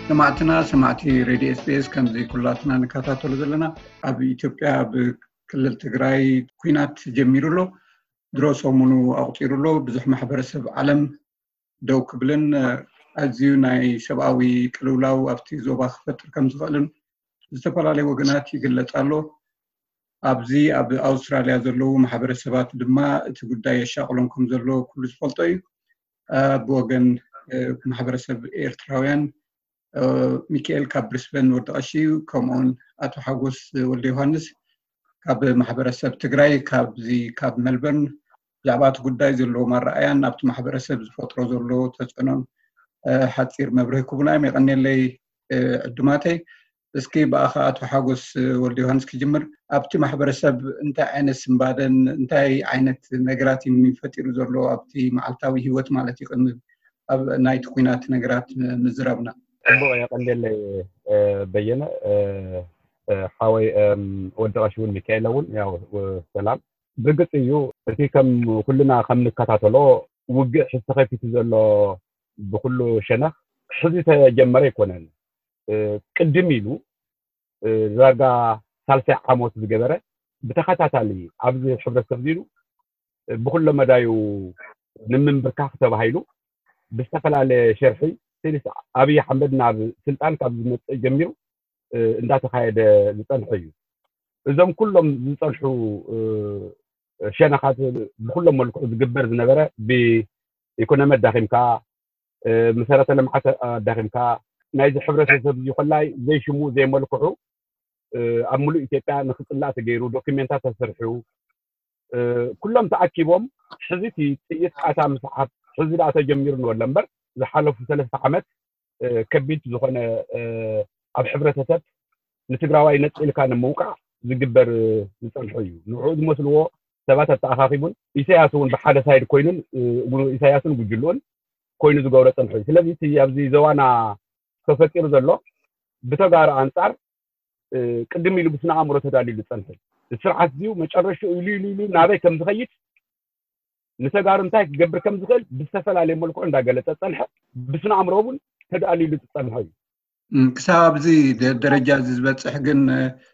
ሰማዕትና ሰማዕቲ ሬድዮ ኤስቢኤስ፣ ከምዚ ኩላትና ንከታተሎ ዘለና፣ ኣብ ኢትዮጵያ ብክልል ትግራይ ኩናት ጀሚሩ ኣሎ። ድሮ ሰሙኑ ኣቑፂሩ ኣሎ። ብዙሕ ማሕበረሰብ ዓለም ደው ክብልን ኣዝዩ ናይ ሰብኣዊ ቅልውላው ኣብቲ ዞባ ክፈጥር ከም ዝኽእልን ዝተፈላለዩ ወገናት ይግለጽ ኣሎ። ኣብዚ ኣብ ኣውስትራልያ ዘለዉ ማሕበረሰባት ድማ እቲ ጉዳይ የሻቕሎም ከም ዘሎ ኩሉ ዝፈልጦ እዩ። ብወገን ማሕበረሰብ ኤርትራውያን ሚካኤል ካብ ብሪስበን ወዲ ቀሺ እዩ፣ ከምኡውን ኣቶ ሓጎስ ወልደ ዮሃንስ ካብ ማሕበረሰብ ትግራይ ካብዚ ካብ መልበርን ብዛዕባ እቲ ጉዳይ ዘለዎም ኣረኣያን ኣብቲ ማሕበረሰብ ዝፈጥሮ ዘሎ ተፅዕኖን ሓፂር መብርሂ ክቡና እዮም። የቐንየለይ ዕዱማተይ። እስኪ ብኣኻ ኣቶ ሓጎስ ወልደ ዮሃንስ ክጅምር። ኣብቲ ማሕበረሰብ እንታይ ዓይነት ስንባደን እንታይ ዓይነት ነገራት እዩ ፈጢሩ ዘሎ ኣብቲ መዓልታዊ ህይወት ማለት እዩ፣ ቅድሚ ኣብ ናይቲ ኩናት ነገራት ምዝራብና? ጽቡቕ፣ የቐንየለይ በየነ። ሓወይ ወዲ ቀሺ እውን ሚካኤል እውን ያው ሰላም። ብርግጽ እዩ፣ እቲ ከም ኩልና ከም ንከታተሎ ውግእ ሕዚ ተኸፊቱ ዘሎ ብኩሉ ሸነኽ ሕዚ ተጀመረ ኣይኮነን። ቅድም ኢሉ ዳርጋ ሳልሳይ ዓመት ዝገበረ ብተኸታታሊ ኣብዚ ሕብረተሰብ ዚሉ ብኩሎ መዳዩ ንምንብርካኽ ተባሂሉ ብዝተፈላለየ ሸርሒ ሲንስ ኣብይ ኣሕመድ ናብ ስልጣን ካብ ዝመፅእ ጀሚሩ እንዳተኻየደ ዝፀንሐ እዩ። እዞም ኩሎም ዝፀንሑ ሸነኻት ብኩሎም መልክዑ ዝግበር ዝነበረ ብኢኮኖሚ ኣዳኺምካ፣ መሰረተ ልምዓት ኣዳኺምካ፣ ናይዚ ሕብረተሰብ እዚ ኮላይ ዘይሽሙ ዘይመልክዑ ኣብ ሙሉእ ኢትዮጵያ ንክፅላእ ተገይሩ፣ ዶክሜንታት ተሰርሑ፣ ኩሎም ተኣኪቦም ሕዚ እቲ ጥይት ቃታ ምስዓብ ሕዚ ደኣ ተጀሚሩ ንበሎ እምበር ዝሓለፉ ሰለስተ ዓመት ከቢድ ዝኾነ ኣብ ሕብረተሰብ ንትግራዋይ ነፂልካ ንምውቃዕ ዝግበር ዝፀንሑ እዩ። ንዕኡ ዝመስልዎ ሰባት ኣተኣኻኺቡን ኢሳያስ እውን ብሓደ ሳይድ ኮይኑን ኢሳያስን ጉጅልኡን ኮይኑ ዝገብሮ ፀንሑ እዩ። ስለዚ እቲ ኣብዚ ዞባና ተፈጢሩ ዘሎ ብተጋሩ ኣንፃር ቅድም ኢሉ ብስነ ኣእምሮ ተዳልዩ ዝፀንሐ እዩ። እቲ ስርዓት እዚዩ መጨረሽኡ ኢሉ ኢሉ ኢሉ ናበይ ከም ዝኸይድ ንተጋሩ እንታይ ክገብር ከም ዝኽእል ብዝተፈላለየ መልክዑ እንዳገለፀ ዝፀንሐ፣ ብስነ ኣእምሮ እውን ተዳልዩ ዝፀንሐ እዩ። ክሳብ ኣብዚ ደረጃ እዚ ዝበፅሕ ግን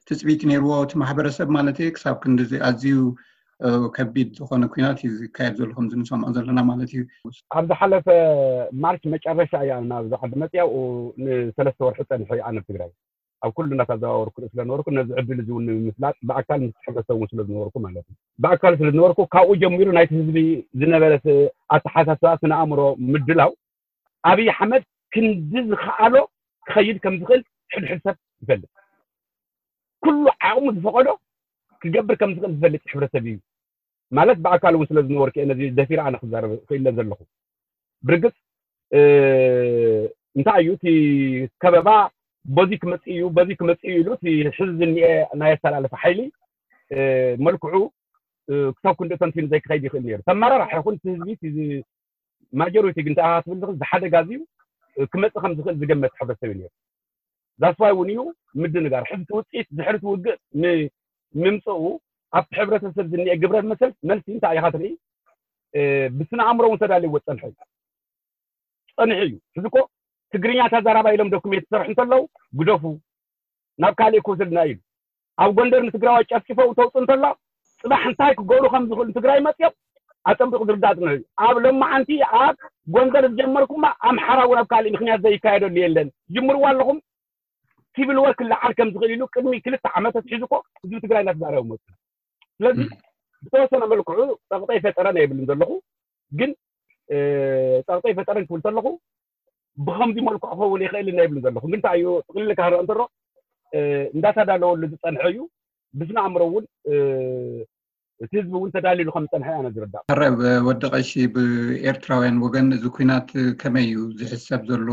ትፅቢት ነይርዎ እቲ ማሕበረሰብ ማለት እየ? ክሳብ ክንድዚ ኣዝዩ ከቢድ ዝኾነ ኩናት እዩ ዝካየድ ዘሎ ከምዚ ንሰምዖ ዘለና ማለት እዩ። ኣብ ዝሓለፈ ማርች መጨረሻ እያ ናብዚ ዓዲ መፅያ፣ ንሰለስተ ወርሒ ፀኒሐ እየ ኣነ ኣብ ትግራይ። ኣብ ኩሉ እናተዘዋወርኩ ርኢ ስለነበርኩ ነዚ ዕድል እዚ እውን ንምፍላጥ ብኣካል ምስ ሕብረተሰብ እውን ስለ ዝነበርኩ ማለት እዩ። ብኣካል ስለ ዝነበርኩ ካብኡ ጀሚሩ ናይቲ ህዝቢ ዝነበረ ኣተሓሳስባ ስነ ኣእምሮ ምድላው ኣብይ ኣሕመድ ክንዲ ዝኸኣሎ ክኸይድ ከም ዝኽእል ሕድሕድ ሰብ ይፈልጥ። ኩሉ ዓቕሙ ዝፈቐዶ ክገብር ከም ዝኽእል ዝፈልጥ ሕብረተሰብ እዩ። ማለት ብኣካል እውን ስለ ዝነበርኩ እየ ነዚ ደፊረ ኣነ ክዛረብ ክኢለ ዘለኹ። ብርግፅ እንታይ እዩ እቲ ከበባ በዚ ክመፅእ እዩ በዚ ክመፅእ እዩ ኢሉ እቲ ሕዚ ዝኒኤ ናይ ኣሰላልፋ ሓይሊ መልክዑ ክሳብ ክንዲ ተንቲኑ ዘይክኸይድ ይኽእል ነይሩ። ተመራራሕ ይኹን እቲ ህዝቢ ማጆሪቲ ግን እንታይ ትብል ዝኽእል ዝሓደ ጋዝ እዩ ክመፅእ ከም ዝኽእል ዝገመት ሕብረተሰብ እዩ ነይሩ። ዛስዋይ እውን እዩ ምድንጋር ሕዚ ውፅኢት ድሕሪ ውግእ ምምፅኡ ኣብቲ ሕብረተሰብ ዝኒኤ ግብረ መሰል መልሲ እንታይ ኢኻ ትርኢ? ብስነ ኣእምሮ እውን ተዳልይዎ ፀንሐ እዩ። ፀኒሑ እዩ። ሕዚ እኮ ትግርኛ ተዛራባ ኢሎም ዶክሜንት ዝሰርሑ እንተለዉ ግደፉ ናብ ካሊእ ክወስድና እዩ። ኣብ ጎንደር ንትግራዋይ ጨፍጭፈው ተውፅእ እንተሎ ፅባሕ እንታይ ክገብሩ ከም ዝኽእሉ ትግራይ መፅኦም ኣፀንቢቑ ዝርዳእ ፅንሑ እዩ። ኣብ ሎማዓንቲ ኣብ ጎንደር ዝጀመርኩማ ኣምሓራ እውን ኣብ ካሊእ ምክንያት ዘይካየደሉ የለን። ጅምርዋ ኣለኹም ሲቪል ወር ክለዓል ከም ዝኽእል ኢሉ ቅድሚ ክልተ ዓመት ኣትሒዙ እኮ ህዝቢ ትግራይ እናተዛረበ መፁ። ስለዚ ብተወሰነ መልክዑ ፀቕጠ ይፈጠረ ናይ የብልን ዘለኹ ግን ፀቕጠ ይፈጠረን ክብል ከለኹ ብከምዚ መልክዑ ክኸውን ይኽእል ናይ የብልን ዘለኹ ግን እንታይ እዩ ጥቕልል ካህረ እንተሮ እንዳተዳለወሉ ዝፀንሐ እዩ። ብስነ ኣእምሮ እውን እቲ ህዝቢ እውን ተዳሊሉ ከም ዝፀንሐ ኣነ ዝርዳእ። ሕረ ወዲ ቀሺ ብኤርትራውያን ወገን እዚ ኩናት ከመይ እዩ ዝሕሰብ ዘሎ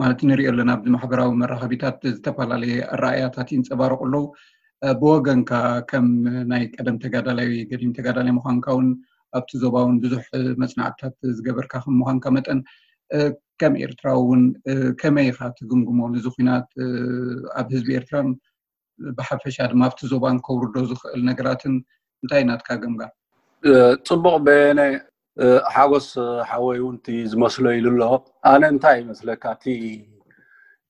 ማለት ንሪኦ ኣለና ኣብዚ ማሕበራዊ መራኸቢታት ዝተፈላለየ ኣረኣያታት ይንፀባረቁ ኣለዉ። ብወገንካ ከም ናይ ቀደም ተጋዳላይ ገዲም ተጋዳላይ ምዃንካ እውን ኣብቲ ዞባ እውን ብዙሕ መፅናዕትታት ዝገበርካ ከም ምዃንካ መጠን ከም ኤርትራዊ እውን ከመይ ኢኻ ትግምግሞ ነዚ ኩናት ኣብ ህዝቢ ኤርትራን ብሓፈሻ ድማ ኣብቲ ዞባን ከውርዶ ዝኽእል ነገራትን እንታይ ናትካ ገምጋም? ፅቡቕ በየነ ሓጎስ ሓወይ እውን እቲ ዝመስሎ ኢሉ ኣሎ። ኣነ እንታይ ይመስለካ እቲ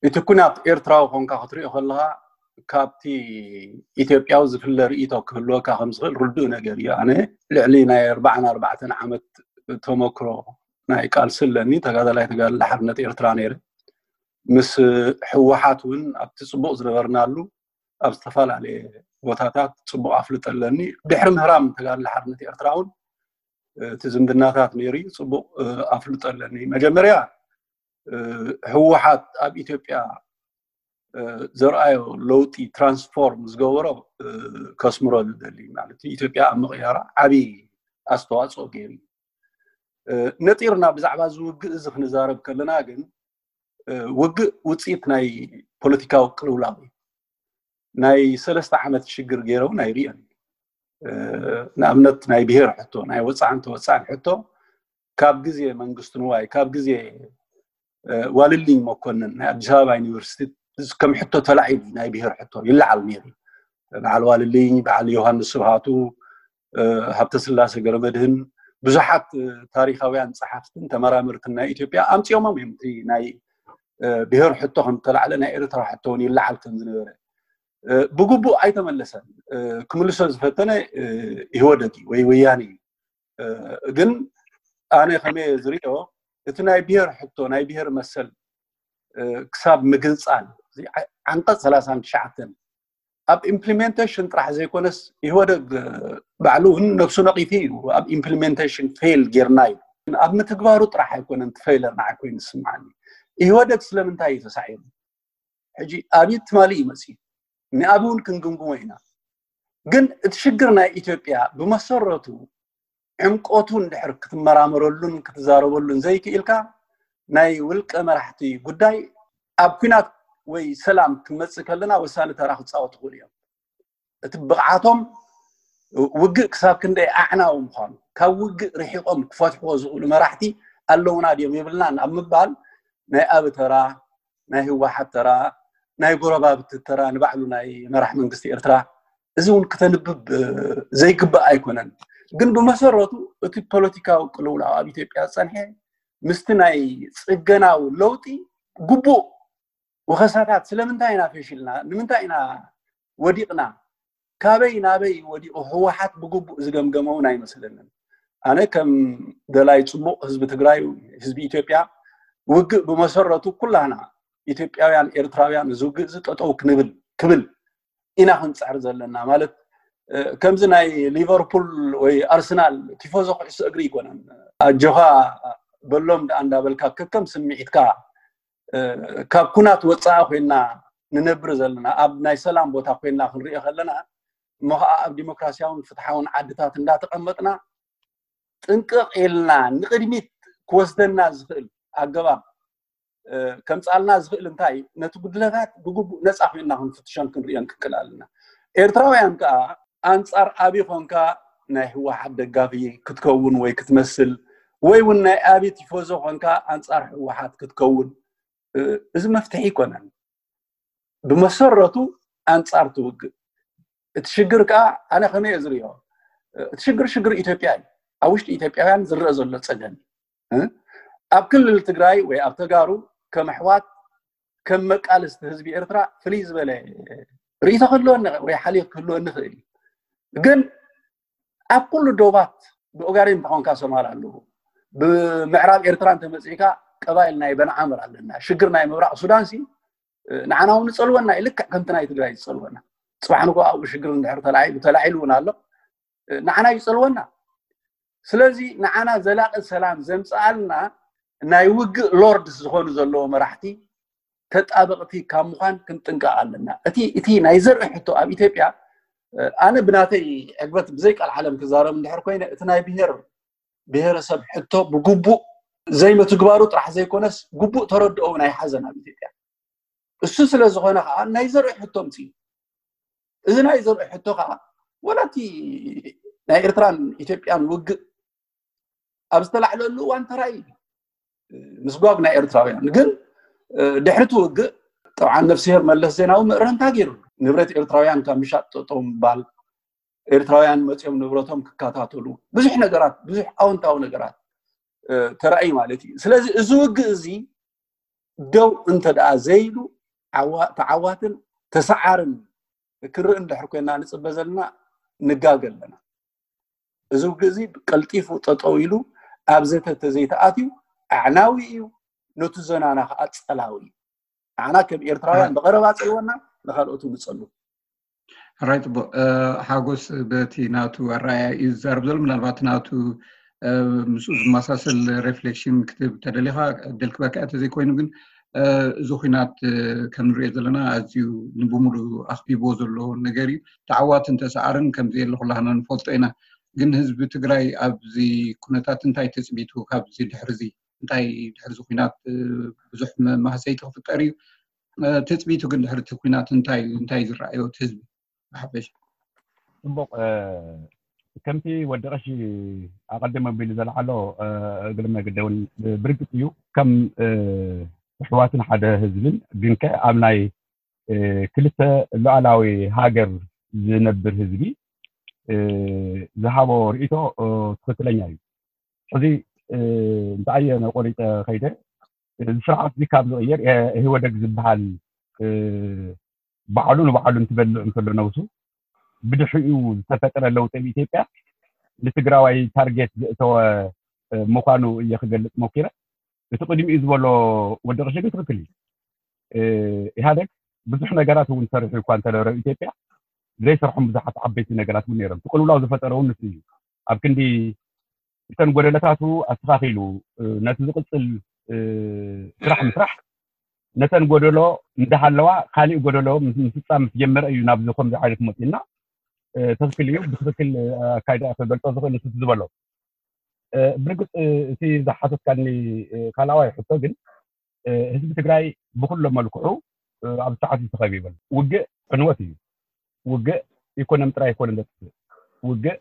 እቲ ኩናት ኤርትራዊ ኮንካ ክትሪኦ ከለኻ ካብቲ ኢትዮጵያዊ ዝፍለ ርእይቶ ክህልወካ ከም ዝኽእል ርዱእ ነገር እዩ። ኣነ ልዕሊ ናይ ኣርባዓን ኣርባዕተን ዓመት ተመክሮ ናይ ቃልሲ ኣለኒ። ተጋዳላይ ተጋዳላይ ሓርነት ኤርትራ ነይረ። ምስ ህወሓት እውን ኣብቲ ጽቡቕ ዝነበርናሉ ኣብ ዝተፈላለየ ቦታታት ጽቡቕ ኣፍልጦ ኣለኒ። ድሕሪ ምህራም ተጋዳላይ ሓርነት ኤርትራ እውን እቲ ዝምድናታት ነይሩ እዩ። ጽቡቕ ኣፍልጦ ኣለኒ። መጀመርያ ህወሓት ኣብ ኢትዮጵያ ዘርኣዮ ለውጢ ትራንስፎርም ዝገበሮ ከስምሮ ዝደሊ ማለት እዩ። ኢትዮጵያ ኣብ ምቕያራ ዓብዪ ኣስተዋፅኦ ገይሩ እዩ። ነጢርና ብዛዕባ እዚ ውግእ እዚ ክንዛረብ ከለና ግን ውግእ ውፅኢት ናይ ፖለቲካዊ ቅልውላው እዩ። ናይ ሰለስተ ዓመት ሽግር ገይረውን ኣይርእዮን። ንኣብነት ናይ ብሄር ሕቶ፣ ናይ ወፃዕን ተወፃዕን ሕቶ ካብ ግዜ መንግስቱ ንዋይ፣ ካብ ግዜ ዋልልኝ መኮንን ናይ ኣዲስ ኣበባ ዩኒቨርሲቲ ከም ሕቶ ተላዒሉ ናይ ብሄር ሕቶ ይለዓል ነይሩ። በዓል ዋልልኝ፣ በዓል ዮሃንስ ስብሃቱ፣ ሃብተስላሴ ገረመድህን፣ ብዙሓት ታሪካውያን ፀሓፍትን ተመራመርትን ናይ ኢትዮጵያ ኣምፂኦሞም እዮም። እቲ ናይ ብሄር ሕቶ ከም ተላዕለ ናይ ኤርትራ ሕቶ እውን ይለዓል ከም ዝነበረ ብግቡእ ኣይተመለሰን። ክምልሶ ዝፈተነ ኢህወደግ እዩ ወይ ወያነ እዩ። ግን ኣነ ከመይ ዝሪኦ፣ እቲ ናይ ብሄር ሕቶ፣ ናይ ብሄር መሰል ክሳብ ምግንፃል፣ ዓንቀፅ ሰላሳን ትሽዓተን ኣብ ኢምፕሊሜንቴሽን ጥራሕ ዘይኮነስ ኢህወደግ ባዕሉ እውን ነብሱ ነቒፉ እዩ። ኣብ ኢምፕሊሜንቴሽን ፌል ጌርና እዩ። ኣብ ምትግባሩ ጥራሕ ኣይኮነን እቲ ፌለር ንዓይ ኮይኑ ዝስምዓኒ። ኢህወደግ ስለምንታይ እዩ ተሳዒሩ? ሕጂ ኣብይ ትማሊ እዩ መፅዩ። ንኣብይ እውን ክንግምግሞ ኢና። ግን እቲ ሽግር ናይ ኢትዮጵያ ብመሰረቱ ዕምቆቱ እንድሕር ክትመራመረሉን ክትዛረበሉን ዘይክኢልካ ናይ ውልቀ መራሕቲ ጉዳይ ኣብ ኩናት ወይ ሰላም ክንመፅእ ከለና ወሳኒ ተራ ክፃወቱ ይኽእሉ እዮም። እቲ ብቕዓቶም ውግእ ክሳብ ክንደይ ኣዕናዊ ምዃኑ፣ ካብ ውግእ ርሒቖም ክፈትሕዎ ዝኽእሉ መራሕቲ ኣለውና ድዮም የብልናን ኣብ ምባል ናይ ኣብ ተራ፣ ናይ ህወሓት ተራ፣ ናይ ጎረባብቲ ተራ፣ ንባዕሉ ናይ መራሕ መንግስቲ ኤርትራ እዚ እውን ክተንብብ ዘይግባእ ኣይኮነን። ግን ብመሰረቱ እቲ ፖለቲካዊ ቅልውላው ኣብ ኢትዮጵያ ዝፀንሐ ምስቲ ናይ ፅገናዊ ለውጢ ግቡእ ወኸሳታት ስለምንታይ ኢና ፈሽልና፣ ንምንታይ ኢና ወዲቕና፣ ካበይ ናበይ ወዲቑ ህወሓት ብግቡእ ዝገምገመ እውን ኣይመስለንን። ኣነ ከም ደላይ ፅቡቕ ህዝቢ ትግራይ፣ ህዝቢ ኢትዮጵያ፣ ውግእ ብመሰረቱ ኩላና ኢትዮጵያውያን ኤርትራውያን እዚ ውግእ እዚ ጠጠው ክንብል ክብል ኢና ክንፅዕር ዘለና። ማለት ከምዚ ናይ ሊቨርፑል ወይ ኣርሰናል ቲፎዞ ኩዕሶ እግሪ ይኮነን። ኣጆኻ በሎም ደኣ እንዳበልካ ከከም ስምዒትካ ካብ ኩናት ወፃኢ ኮይና ንነብር ዘለና፣ ኣብ ናይ ሰላም ቦታ ኮይና ክንሪኦ ከለና እሞ ከዓ ኣብ ዲሞክራሲያውን ፍትሓውን ዓድታት እንዳተቐመጥና ጥንቅቕ ኢልና ንቕድሚት ክወስደና ዝኽእል ኣገባብ ከምፃልና ዝኽእል እንታይ ነቲ ጉድለታት ብግቡእ ነፃ ኮይና ክንፍትሾን ክንሪኦን ክንክእል ኣለና። ኤርትራውያን ከዓ ኣንፃር ኣብይ ኮንካ ናይ ህወሓት ደጋፊ ክትከውን ወይ ክትመስል ወይ እውን ናይ ኣብይ ቲፎዞ ኮንካ ኣንፃር ህወሓት ክትከውን እዚ መፍትሒ ኣይኮነን። ብመሰረቱ ኣንፃር ትውግእ። እቲ ሽግር ከዓ ኣነ ከመይ እየ ዝሪኦ፣ እቲ ሽግር ሽግር ኢትዮጵያ እዩ። ኣብ ውሽጢ ኢትዮጵያውያን ዝረአ ዘሎ ፀገም እዩ። ኣብ ክልል ትግራይ ወይ ኣብ ተጋሩ ከም ኣሕዋት ከም መቃልስቲ ህዝቢ ኤርትራ ፍልይ ዝበለ ርእይቶ ክህልወኒ ወይ ሓልዮት ክህልወኒ ይኽእል እዩ። ግን ኣብ ኩሉ ዶባት ብኦጋዴን እንተኾንካ ሶማል ኣለዉ። ብምዕራብ ኤርትራ እንተመፂእካ ቀባይል ናይ በንዓምር ኣለና። ሽግር ናይ ምብራቕ ሱዳን ሲ ንዓና እውን ይፀልወና እዩ። ልክዕ ከምቲ ናይ ትግራይ ዝፀልወና። ፅባሕ ንጎ ኣብኡ ሽግር እንድሕር ተላዒሉ ተላዒሉ እውን ኣሎ። ንዓና ይፀልወና። ስለዚ ንዓና ዘላቂ ሰላም ዘምፅኣልና ናይ ውግእ ሎርድስ ዝኾኑ ዘለዎ መራሕቲ ተጣበቕቲ ካብ ምዃን ክንጥንቀቕ ኣለና። እቲ እቲ ናይ ዘርኢ ሕቶ ኣብ ኢትዮጵያ ኣነ ብናተይ ዕግበት ብዘይ ቃል ዓለም ክዛረብ እንድሕር ኮይነ እቲ ናይ ብሄር ብሄረሰብ ሕቶ ብግቡእ ዘይምትግባሩ ጥራሕ ዘይኮነስ ግቡእ ተረድኦ እውን ኣይሓዘን ኣብ ኢትዮጵያ። እሱ ስለ ዝኾነ ከዓ ናይ ዘርኢ ሕቶ ምፅዩ። እዚ ናይ ዘርኢ ሕቶ ከዓ ወላ እቲ ናይ ኤርትራን ኢትዮጵያን ውግእ ኣብ ዝተላዕለሉ እዋን ተራእዩ ምስጓግ ናይ ኤርትራውያን ግን ድሕሪ እቲ ውግእ ጠብዓን ነፍስሄር መለስ ዜናዊ ምእረምታ ገይሩ ንብረት ኤርትራውያን ካብ ምሻጥ ጠጠው ምባል ኤርትራውያን መፂኦም ንብረቶም ክከታተሉ ብዙሕ ነገራት ብዙሕ ኣወንታዊ ነገራት ተራእዩ ማለት እዩ። ስለዚ እዚ ውግእ እዚ ደው እንተ ደኣ ዘይሉ ዓዋ- ተዓዋትን ተሰዓርን ክርኢ እንድሕር ኮይና ንጽበ ዘለና ንጋገ ኣለና። እዚ ውግእ እዚ ቀልጢፉ ጠጠው ኢሉ ኣብ ዘተ ተዘይተኣትዩ ኣዕናዊ እዩ፣ ነቱ ዘናና ከዓ ጸላዊ እዩ። ንዓና ከም ኤርትራውያን ብቐረባ ጸልወና፣ ንኻልኦቱ ንጸሉ። ራይ ጽቡቅ። ሓጎስ በቲ ናቱ ኣረኣያ እዩ ዝዛረብ ዘሎ። ምናልባት ናቱ ምስኡ ዝመሳሰል ሬፍሌክሽን ክትብ ተደሊኻ ደልክበካ እተ ዘይኮይኑ ግን፣ እዚ ኩናት ከም ንሪኦ ዘለና ኣዝዩ ንብሙሉ ኣኽቢቦ ዘሎ ነገር እዩ። ተዓዋትን ተሰዓርን ከምዚ የለ ኩላህና ንፈልጦ ኢና። ግን ህዝቢ ትግራይ ኣብዚ ኩነታት እንታይ ተፅቢቱ ካብዚ ድሕርዚ እንታይ ድሕርዚ ኩናት ብዙሕ ማህሰይቲ ክፍጠር እዩ። ትፅቢቱ ግን ድሕርቲ ኩናት እንታይ እንታይ ዝረኣዮ እቲ ህዝቢ ብሓፈሻ? ፅቡቅ። ከምቲ ወዲ ቀሺ ኣቐድም ኣቢሉ ዘለሓሎ እግሪ መግደ እውን ብርግፅ እዩ። ከም ኣሕዋትን ሓደ ህዝብን ግንከ ኣብ ናይ ክልተ ሉዓላዊ ሃገር ዝነብር ህዝቢ ዝሃቦ ርእይቶ ትኽክለኛ እዩ። ሕዚ እንታይ እየ ቆሪፀ ከይደ፣ እዚ ስርዓት እዚ ካብ ዝቕየር ኢህወደግ ዝበሃል ባዕሉ ንባዕሉ እንትበልዕ እንከሎ ነብሱ ብድሕሪኡ ዝተፈጠረ ለውጢ ኣብ ኢትዮጵያ ንትግራዋይ ታርጌት ዘእተወ ምዃኑ እየ ክገልፅ ሞኪረ። እቲ ቅድሚኡ ዝበሎ ወዲ ቀሺ ግን ትኽክል እዩ። ኢህኣደግ ብዙሕ ነገራት እውን ሰሪሑ እኳ እንተነበረ ኣብ ኢትዮጵያ ዘይሰርሖም ብዙሓት ዓበይቲ ነገራት እውን ነይሮም። እቲ ቅልውላው ዝፈጠረ እውን ንሱ እዩ። ኣብ ክንዲ እተን ጎደለታቱ ኣስተኻኺሉ ነቲ ዝቕፅል ስራሕ ምስራሕ ነተን ጎደሎ እንዳሃለዋ ካሊእ ጎደሎ ምስ- ምስፃም ምስ ጀመረ እዩ ናብዚ ከምዚ ዓይነት መፂና። ትኽክል እዩ። ብትኽክል ኣካይዳ ክገልፆ ዝኽእል ንሱ ዝበሎ። ብርግፅ እቲ ዝሓተትካኒ ካልኣዋይ ሕቶ ግን ህዝቢ ትግራይ ብኩሎ መልክዑ ኣብ ሰዓት እዩ ተኸቢቡ። ውግእ ዕንወት እዩ። ውግእ ኢኮኖሚ ጥራይ ኣይኮነን ዘጥፍእ። ውግእ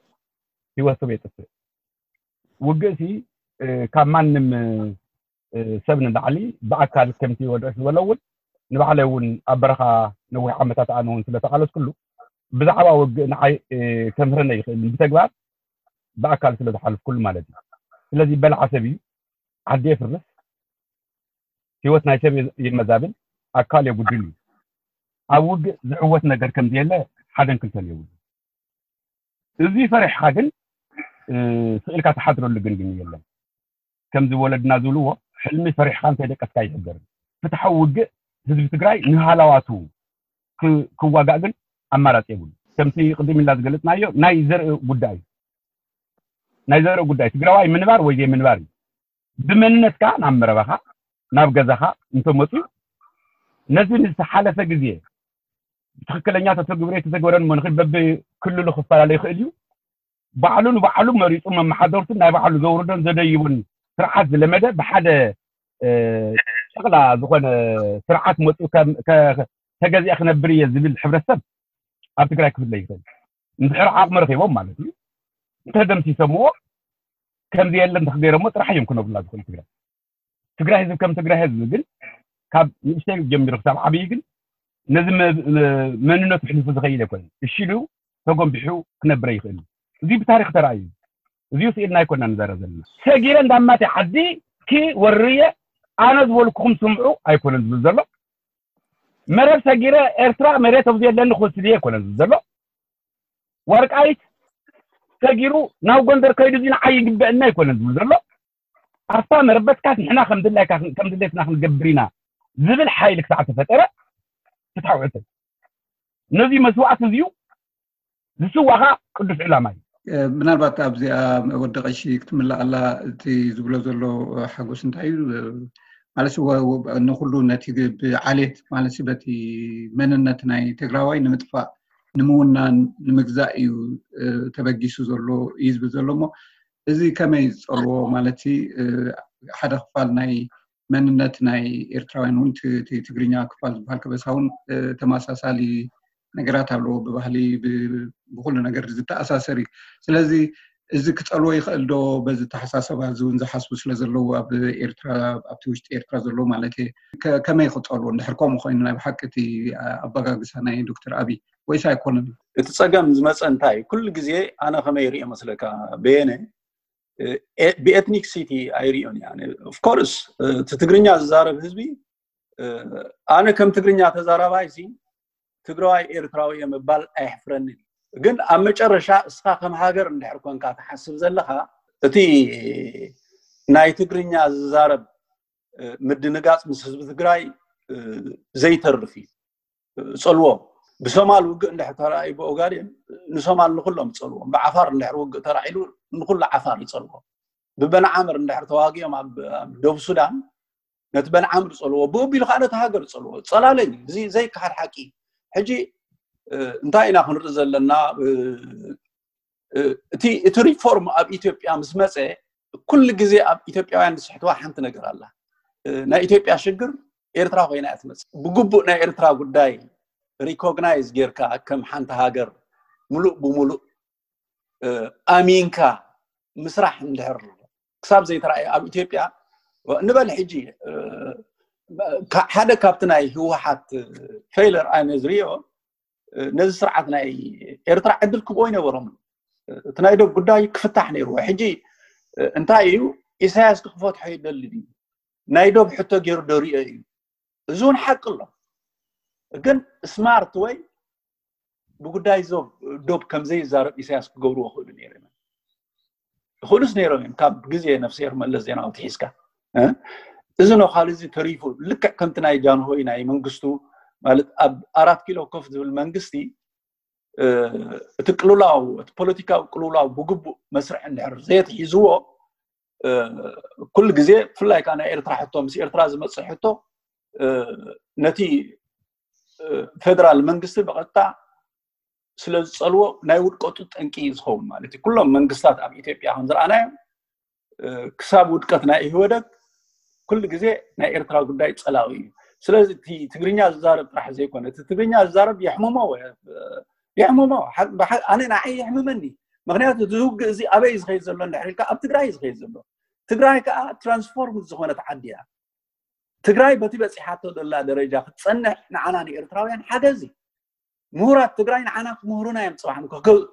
ህይወት ሰብ የጥፍእ። ውግእ ሲ ካብ ማንም ሰብ ንላዕሊ ብኣካል ከምቲ ወድዕሽ ዝበሎ እውን ንባዕለይ እውን ኣብ በረኻ ነዊሕ ዓመታት ኣነ እውን ስለተቓለስኩሉ ብዛዕባ ውግእ ንዓይ ከምህረኒ ይኽእል ብተግባር ብኣካል ስለዝሓልፍኩሉ ማለት እዩ። ስለዚ በላዓ ሰብ እዩ፣ ዓዲ የፍርስ፣ ህይወት ናይ ሰብ የመዛብል፣ ኣካል የጉድል እዩ። ኣብ ውግእ ዝዕወት ነገር ከም ዘየለ ሓደን ክልተን የብሉ። እዚ ፈሪሕካ ግን ስእልካ ትሓድረሉ ግን ግን የለን። ከምዚ ወለድና ዝብልዎ ሕልሚ ፈሪሕካ እንተይደቀስካ ኣይሕደርን። ፍትሓዊ ውግእ ህዝቢ ትግራይ ንሃላዋቱ ክዋጋእ ግን ኣማራፂ የብሉ። ከምቲ ቅድም ኢልና ዝገለፅናዮ ናይ ዘርኢ ጉዳይ ናይ ዘርኢ ጉዳይ ትግራዋይ ምንባር ወይ ዘይምንባር እዩ። ብመንነትካ ናብ መረባኻ ናብ ገዛኻ እንተመፅኡ ነዚ ንዝተሓለፈ ግዜ ብትኽክለኛ ተተግብረ የተተግበረን እሞ ንኽድ በብክልሉ ክፈላለ ይኽእል እዩ። ባዕሉ ንባዕሉ መሪፁ መመሓደርቱን ናይ ባዕሉ ዘውርዶን ዘደይቡን ስርዓት ዝለመደ ብሓደ ጨቕላ ዝኾነ ስርዓት መፅኡ ተገዚአ ክነብር እየ ዝብል ሕብረተሰብ ኣብ ትግራይ ክፍለ ይኽእል። እንድሕር ዓቕሚ ረኺቦም ማለት እዩ። እንተደምሲሶምዎ ከምዚ የለን ተክገይሮሞ ጥራሕ እዮም ክነብሩላ ዝኽእሉ ትግራይ። ትግራይ ህዝቢ ከም ትግራይ ህዝቢ ግን ካብ ንእሽተይ ጀሚሩ ክሳብ ዓብዪ ግን ነዚ መንነቱ ሕሊፉ ዝኸይድ ኣይኮነን። እሺ ኢሉ ተጎንቢሑ ክነብረ ይኽእል። እዚ ብታሪክ ተራእዩ። እዚ ስኢልና ኣይኮና ንዛረብ ዘለና። ሰጊረ እንዳማተ ዓዲ ክወርየ ኣነ ዝበልኩኹም ስምዑ ኣይኮነን ዝብል ዘሎ። መረብ ሰጊረ ኤርትራ መሬት ኣብዚ የለኒ ክወስድ እየ ኣይኮነን ዝብል ዘሎ። ወርቃይት ሰጊሩ ናብ ጎንደር ከይዱ እዚ ንዓይ ይግበአና ኣይኮነን ዝብል ዘሎ። ኣስታ መረበትካስ ንሕና ከም ድላይካ ከም ድሌትና ክንገብር ኢና ዝብል ሓይሊ ክሳዕ ተፈጠረ ፍትሓዊ ሕቶ። ነዚ መስዋዕት እዚዩ ዝስዋኻ ቅዱስ ዕላማ እዩ። ምናልባት ኣብዚኣ ወዲ ቀሺ ክትምላእ ኣላ እቲ ዝብሎ ዘሎ ሓጎስ እንታይ እዩ ማለት ንኩሉ ነቲ ብዓሌት ማለት በቲ መንነት ናይ ትግራዋይ ንምጥፋእ ንምውናን ንምግዛእ እዩ ተበጊሱ ዘሎ እዩ ዝብል ዘሎ እሞ እዚ ከመይ ዝፀልዎ ማለት ሓደ ክፋል ናይ መንነት ናይ ኤርትራውያን እውን ትግርኛ ክፋል ዝበሃል ከበሳ እውን ተመሳሳሊ ነገራት ኣለዎ ብባህሊ ብኩሉ ነገር ዝተኣሳሰር እዩ ስለዚ እዚ ክፀልዎ ይኽእል ዶ በዚ ተሓሳሰባ እዚ እውን ዝሓስቡ ስለ ዘለዉ ኣብ ኤርትራ ኣብቲ ውሽጢ ኤርትራ ዘለዉ ማለት ከመይ ክፀልዎ እንድሕር ከምኡ ኮይኑ ናይ ብሓቂ እቲ ኣበጋግሳ ናይ ዶክተር ኣብይ ወይስ ኣይኮነን እቲ ፀገም ዝመፀ እንታይ ኩሉ ግዜ ኣነ ከመይ ይሪኦ መስለካ በየነ ብኤትኒክ ሲቲ ኣይሪኦን እያ ኦፍኮርስ እቲ ትግርኛ ዝዛረብ ህዝቢ ኣነ ከም ትግርኛ ተዛራባይ ሲ ትግራዋይ ኤርትራዊ እየ ምባል ኣየሕፍረንን። ግን ኣብ መጨረሻ እስኻ ከም ሃገር እንድሕር ኮንካ ትሓስብ ዘለኻ፣ እቲ ናይ ትግርኛ ዝዛረብ ምድንጋፅ ምስ ህዝቢ ትግራይ ዘይተርፍ እዩ። ጸልዎ ብሶማል ውግእ እንድሕር ተራእዩ ብኦጋዴን ንሶማል ንኩሎም ይጸልዎም። ብዓፋር እንድሕር ውግእ ተራዒሉ ንኩሉ ዓፋር ይጸልዎ። ብበንዓምር እንድሕር ተዋጊኦም ኣብ ደቡብ ሱዳን ነቲ በንዓምር ይጸልዎ። ብኡ ቢሉ ከዓ ነቲ ሃገር ይጸልዎ። ጸላለይ እዚ ዘይከሓድ ሓቂ። ሕጂ እንታይ ኢና ክንርኢ ዘለና? እቲ ሪፎርም ኣብ ኢትዮጵያ ምስ መፀ ኩሉ ግዜ ኣብ ኢትዮጵያውያን ዝስሕትዋ ሓንቲ ነገር ኣላ። ናይ ኢትዮጵያ ሽግር ኤርትራ ኮይና እያ ትመፅእ። ብግቡእ ናይ ኤርትራ ጉዳይ ሪኮግናይዝ ጌርካ ከም ሓንቲ ሃገር ሙሉእ ብሙሉእ ኣሚንካ ምስራሕ እንድሕር ክሳብ ዘይተረኣየ ኣብ ኢትዮጵያ ንበል ሕጂ ሓደ ካብቲ ናይ ህወሓት ፌለር ኣነ ዝሪኦ ነዚ ስርዓት ናይ ኤርትራ ዕድል ክብኦ ይነበሮም። እቲ ናይ ዶብ ጉዳይ ክፍታሕ ነይርዎ። ሕጂ እንታይ እዩ ኢሳያስ ክፈትሖ ይደሊ ድዩ? ናይ ዶብ ሕቶ ገይሩ ዶ ሪኦ እዩ? እዚ እውን ሓቂ ኣሎ። ግን ስማርት ወይ ብጉዳይ ዞብ ዶብ ከም ዘይዛረብ ኢሳያስ ክገብርዎ ክእሉ ነይሮም። ይኽእሉስ ነይሮም እዮም ካብ ግዜ ነፍስሄር መለስ ዜናዊ ትሒዝካ። እዚ ነዃል እዚ ተሪፉ ልክዕ ከምቲ ናይ ጃንሆይ ናይ መንግስቱ ማለት ኣብ ኣራት ኪሎ ኮፍ ዝብል መንግስቲ እቲ ቅልውላው እቲ ፖለቲካዊ ቅልውላው ብግቡእ መስርሕ እንድሕር ዘየትሒዝዎ ኩሉ ግዜ ብፍላይ ከዓ ናይ ኤርትራ ሕቶ ምስ ኤርትራ ዝመፅእ ሕቶ ነቲ ፌደራል መንግስቲ ብቐጥታ ስለ ዝፀልዎ ናይ ውድቀቱ ጠንቂ እዩ ዝኸውን ማለት እዩ። ኩሎም መንግስታት ኣብ ኢትዮጵያ ከም ዝረኣናዮም ክሳብ ውድቀት ናይ ኢህወደግ ኩሉ ግዜ ናይ ኤርትራ ጉዳይ ፀላዊ እዩ። ስለዚ እቲ ትግርኛ ዝዛረብ ጥራሕ ዘይኮነ እቲ ትግርኛ ዝዛረብ የሕምሞ የሕምሞ ኣነ ንዓይ የሕምመኒ። ምክንያቱ እዚ ውግእ እዚ ኣበይ ዝኸይድ ዘሎ እንድሕር ኢልካ ኣብ ትግራይ እዩ ዝኸይድ ዘሎ። ትግራይ ከዓ ትራንስፎርም ዝኾነት ዓዲ እያ። ትግራይ በቲ በፂሓቶ ዘላ ደረጃ ክትፀንሕ ንዓና ንኤርትራውያን ሓገዝ እዩ። ምሁራት ትግራይ ንዓና ክምህሩና እዮም ፅባሕ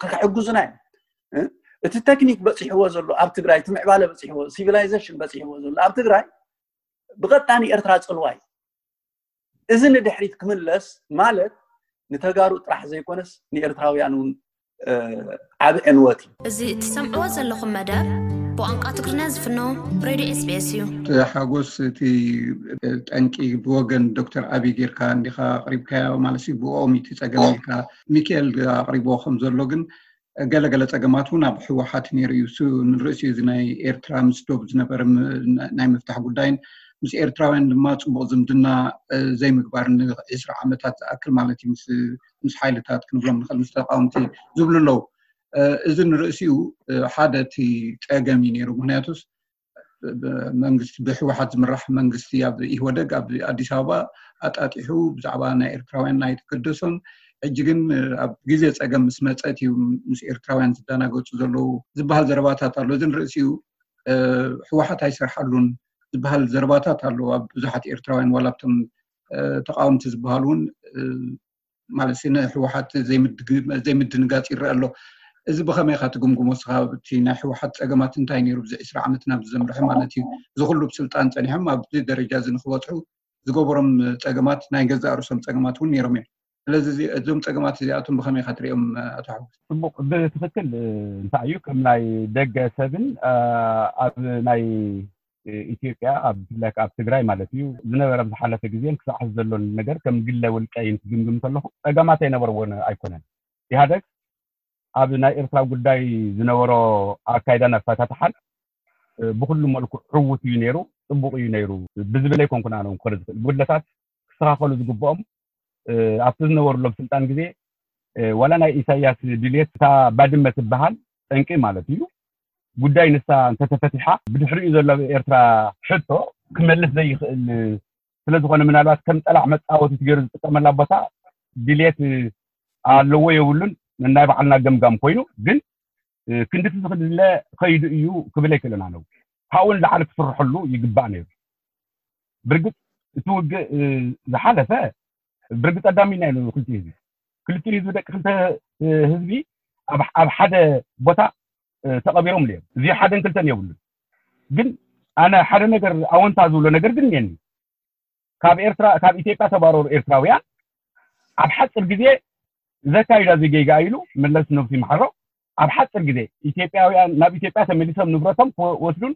ክሕግዙና እዮም። እቲ ቴክኒክ በፂሕዎ ዘሎ ኣብ ትግራይ እቲ ምዕባለ በፂሕዎ ሲቪላይዜሽን በፂሕዎ ዘሎ ኣብ ትግራይ ብቐጣኒ ኤርትራ ፅልዋ እዩ። እዚ ንድሕሪት ክምለስ ማለት ንተጋሩ ጥራሕ ዘይኮነስ ንኤርትራውያን እውን ዓብ ዕንወት እዩ። እዚ እትሰምዕዎ ዘለኹም መደብ ብቋንቋ ትግርኛ ዝፍኖ ሬድዮ ኤስቢኤስ እዩ። ሓጎስ እቲ ጠንቂ ብወገን ዶክተር ኣብይ ጌርካ እንዲኻ ኣቕሪብካዮ ማለት እዩ። ብኦም እቲ ጸገም ኢልካ ሚካኤል ኣቕሪብዎ ከም ዘሎ ግን ገለ ገለ ጸገማት እውን ኣብ ህወሓት ነይሩ እዩ። እሱ ንርእሲ እዚ ናይ ኤርትራ ምስ ዶብ ዝነበረ ናይ ምፍታሕ ጉዳይን ምስ ኤርትራውያን ድማ ጽቡቕ ዝምድና ዘይምግባር ንዒስራ ዓመታት ዝኣክል ማለት እዩ ምስ ሓይልታት ክንብሎም ንኽእል ምስ ተቃወምቲ ዝብሉ ኣለዉ። እዚ ንርእሲኡ ሓደ እቲ ጸገም እዩ ነይሩ። ምክንያቱስ መንግስቲ ብህወሓት ዝምራሕ መንግስቲ ኣብ ኢህወደግ ኣብ ኣዲስ ኣበባ ኣጣጢሑ ብዛዕባ ናይ ኤርትራውያን ኣይተገደሶን። ሕጂ ግን ኣብ ግዜ ጸገም ምስ መጸት እዩ ምስ ኤርትራውያን ዝደናገጹ ዘለዉ ዝበሃል ዘረባታት ኣሎ። እዚ ንርእሲኡ ህወሓት ኣይሰርሓሉን ዝበሃል ዘረባታት ኣሎ ኣብ ብዙሓት ኤርትራውያን ዋላ ኣብቶም ተቃወምቲ ዝበሃሉ እውን ማለት ንህወሓት ዘይምድንጋፅ ይረአ ኣሎ። እዚ ብኸመይ ኢኻ ትግምግሞ እስኻ? እቲ ናይ ህወሓት ፀገማት እንታይ ነይሩ ብዚ ዕስራ ዓመት ናብ ዘምርሐ ማለት እዩ? እዚ ኩሉ ብስልጣን ፀኒሖም ኣብዚ ደረጃ እዚ ንክበፅሑ ዝገበሮም ፀገማት ናይ ገዛእ ርእሶም ፀገማት እውን ነይሮም እዮም። ስለዚ እዞም ፀገማት እዚኣቶም ብኸመይ ኢኻ ትሪኦም ኣቶ ሓጎስ? ፅቡቕ፣ ብትኽክል እንታይ እዩ ከም ናይ ደገ ሰብን ኣብ ናይ ኢትዮጵያ ኣብ ብፍላይ ኣብ ትግራይ ማለት እዩ ዝነበረ ዝሓለፈ ግዜን ክሳዕ ሕዚ ዘሎን ነገር ከም ግለ ውልቀይን ክግምግም ከለኹ ፀገማት ኣይነበርዎን ኣይኮነን። ኢህኣደግ ኣብ ናይ ኤርትራ ጉዳይ ዝነበሮ ኣካይዳን ኣፈታትሓን ብኩሉ መልኩ ዕዉት እዩ ነይሩ፣ ፅቡቕ እዩ ነይሩ ብዝብል ኣይኮንኩን ኣነ እውን ክኸሪ ዝኽእል። ጉድለታት ክስተኻኸሉ ዝግብኦም ኣብቲ ዝነበሩሎም ስልጣን ግዜ ዋላ ናይ ኢሳያስ ድልየት እታ ባድመ ትበሃል ጠንቂ ማለት እዩ ጉዳይ ንሳ እንተተፈቲሓ ብድሕሪኡ ዘሎ ኤርትራ ሕቶ ክመልስ ዘይኽእል ስለዝኾነ ምናልባት ከም ጠላዕ መፃወቲት ገይሩ ዝጥቀመላ ቦታ ድልየት ኣለዎ የብሉን ናይ ባዕልና ገምጋም ኮይኑ ግን ክንድቲ ዝኽድለ ከይዱ እዩ ክብል ኣይክእልን ኣነው ካብኡ ንላዕሊ ክስርሐሉ ይግባእ ነይሩ። ብርግፅ እቲ ውግእ ዝሓለፈ ብርግፅ ኣዳሚና ኢሉ ክልቲኡ ህዝቢ ክልቲኡ ህዝቢ ደቂ ክልተ ህዝቢ ኣብ ሓደ ቦታ ተቐቢሮም እዮም። እዚ ሓደን ክልተን የብሉን። ግን ኣነ ሓደ ነገር ኣወንታ ዝብሎ ነገር ግን እኒአኒ። ካብ ኤርትራ ካብ ኢትዮጵያ ተባረሩ ኤርትራውያን ኣብ ሓፂር ግዜ ዘካይዳ ዜጌጋ ኢሉ መለስ ነብሱ ይምሓሮ። ኣብ ሓፂር ግዜ ኢትዮጵያውያን ናብ ኢትዮጵያ ተመሊሶም ንብረቶም ክወስዱን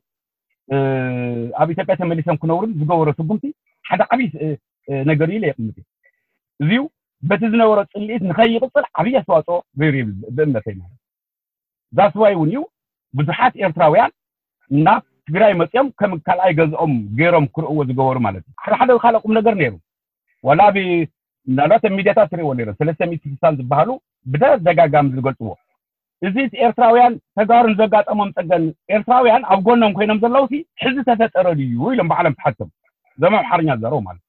ኣብ ኢትዮጵያ ተመሊሶም ክነብሩን ዝገበሮ ስጉምቲ ሓደ ዓብዪ ነገር ኢለ የቕምጥ። እዚዩ በቲ ዝነበሮ ፅልኢት ንኸይቕፅል ዓብዪ ኣስተዋፅኦ ገይሩ ብእምነተይ ማለት። ዛስዋይ እውን እዩ ብዙሓት ኤርትራውያን ናብ ትግራይ መፅኦም ከም ካልኣይ ገዝኦም ገይሮም ክርእዎ ዝገበሩ ማለት እዩ። ሓደ ሓደ ካልእ ቁም ነገር ነይሩ። ዋላ ብ ምናልባት ኣብ ሚዲያታት ትርእዎ ነይሩ ሰለስተ ሚእቲ ስሳን ዝበሃሉ ብተደጋጋሚ ዝገልፅዎ። እዚ ኤርትራውያን ተጋሩን ዘጋጠሞም ፀገን ኤርትራውያን ኣብ ጎኖም ኮይኖም ዘለውሲ ሕዚ ተፈጠረ ድዩ ኢሎም ባዕሎም ተሓቶም። ዘም ኣምሓርኛ ዘረው ማለት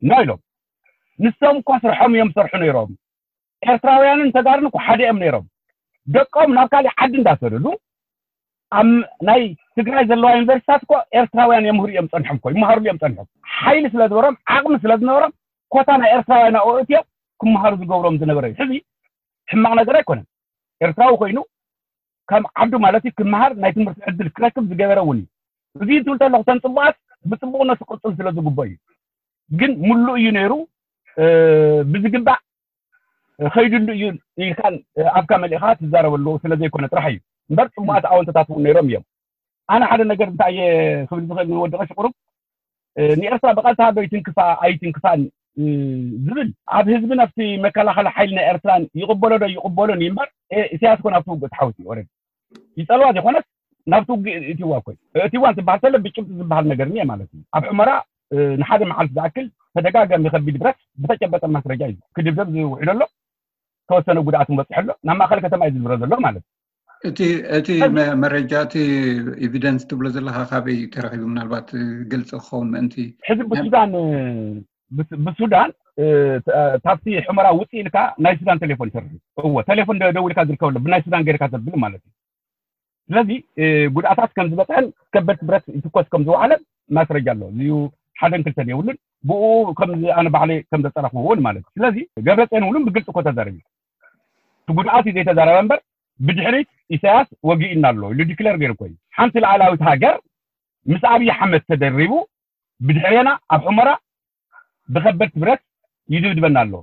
ና ኢሎም። ንሶም እኳ ስርሖም እዮም ሰርሑ ነይሮም። ኤርትራውያንን ተጋሩን እኮ ሓደ እዮም ነይሮም። ደቆም ናብ ካሊእ ዓዲ እንዳሰደዱ ኣብ ናይ ትግራይ ዘለዋ ዩኒቨርሲታት እኮ ኤርትራውያን የምህሩ እዮም ፀንሖም እኮ ይመሃሩሉ እዮም ፀንሖም። ሓይሊ ስለ ዝበሮም ዓቕሚ ስለ ዝነበሮም ኮታ ናይ ኤርትራውያን ኣእትዮም ክመሃሩ ዝገብሮም ዝነበረ እዩ። ሕዚ ሕማቕ ነገር ኣይኮነን። ኤርትራዊ ኮይኑ ከም ዓዱ ማለት እዩ ክመሃር ናይ ትምህርቲ ዕድል ክረክብ ዝገበረ እውን እዩ። እዚ ትብል ተለኹ ተን ፅቡቃት ብፅቡቅነቱ ክቅፅል ስለ ዝግበኦ እዩ። ግን ሙሉእ እዩ ነይሩ ብዝግባእ ከይድሉ እዩ ኢልካን ኣፍካ መሊእካ ትዛረበሉ ስለ ዘይኮነ ጥራሕ እዩ እምበር ፅቡቃት ኣወንተታት እውን ነይሮም እዮም። ኣነ ሓደ ነገር እንታይ ክብል ዝኽእል ንወዲ ቀሺ ቁሩብ ንኤርትራ ብቐጥታ ዶ ይትንክፋ ኣይትንክፋን ዝብል ኣብ ህዝብን ኣብቲ መከላኸሊ ሓይሊ ናይ ኤርትራን ይቕበሎ ዶ ይቕበሎን እዩ እምበር ኢሳያስ ኮን ኣብቲ ውግእ ተሓዊሱ እዩ። ይፀልዋ ዘይኮነስ ናብቲ ውግእ እትዋ ኮይ እትዋ እንትበሃል ተለ ብጭብጢ ዝበሃል ነገር እኒአ ማለት እዩ። ኣብ ሑመራ ንሓደ መዓልቲ ዝኣክል ተደጋጋሚ ከቢድ ብረት ብተጨበጠ ማስረጃ እዩ ክድብደብ ዝውዕሎ ኣሎ። ተወሰነ ጉድኣት በፅሐ ኣሎ። ናብ ማእኸል ከተማ እዩ ዝዝብረ ዘሎ ማለት እዩ። እቲ እቲ መረጃ እቲ ኤቪደንስ ትብሎ ዘለካ ካበይ ተረኪቡ ምናልባት ግልፂ ክኸውን ምእንቲ? ሕዚ ብሱዳን ብሱዳን ታብቲ ሕመራ ውፅእ ኢልካ ናይ ሱዳን ቴሌፎን ይሰርሕ። እዎ ቴሌፎን ደውልካ ዝርከበሎ ብናይ ሱዳን ገይርካ ዘብል ማለት እዩ። ስለዚ ጉድኣታት ከም ዝበፅሐን ከበድቲ ብረት ይትኮስ ከም ዝወዓለን ማስረጃ ኣሎ። እዚዩ ሓደን ክልተን የብሉን። ብኡ ከም ኣነ ባዕለ ከም ዘፀረፍዎ እውን ማለት እዩ። ስለዚ ገብረፅዮን እውን ብግልፂ እኮ ተዛረቢ። እቲ ጉድኣት እዩ ዘይተዛረበ እምበር ብድሕሪት ኢሳያስ ወጊእና ኣሎ ኢሉ ዲክለር ገይሩ እኮ እዩ። ሓንቲ ላዕላዊት ሃገር ምስ ኣብይ ኣሕመድ ተደሪቡ ብድሕሬና ኣብ ሑመራ ብከበድቲ ብረት ይድብድበና ኣሎ።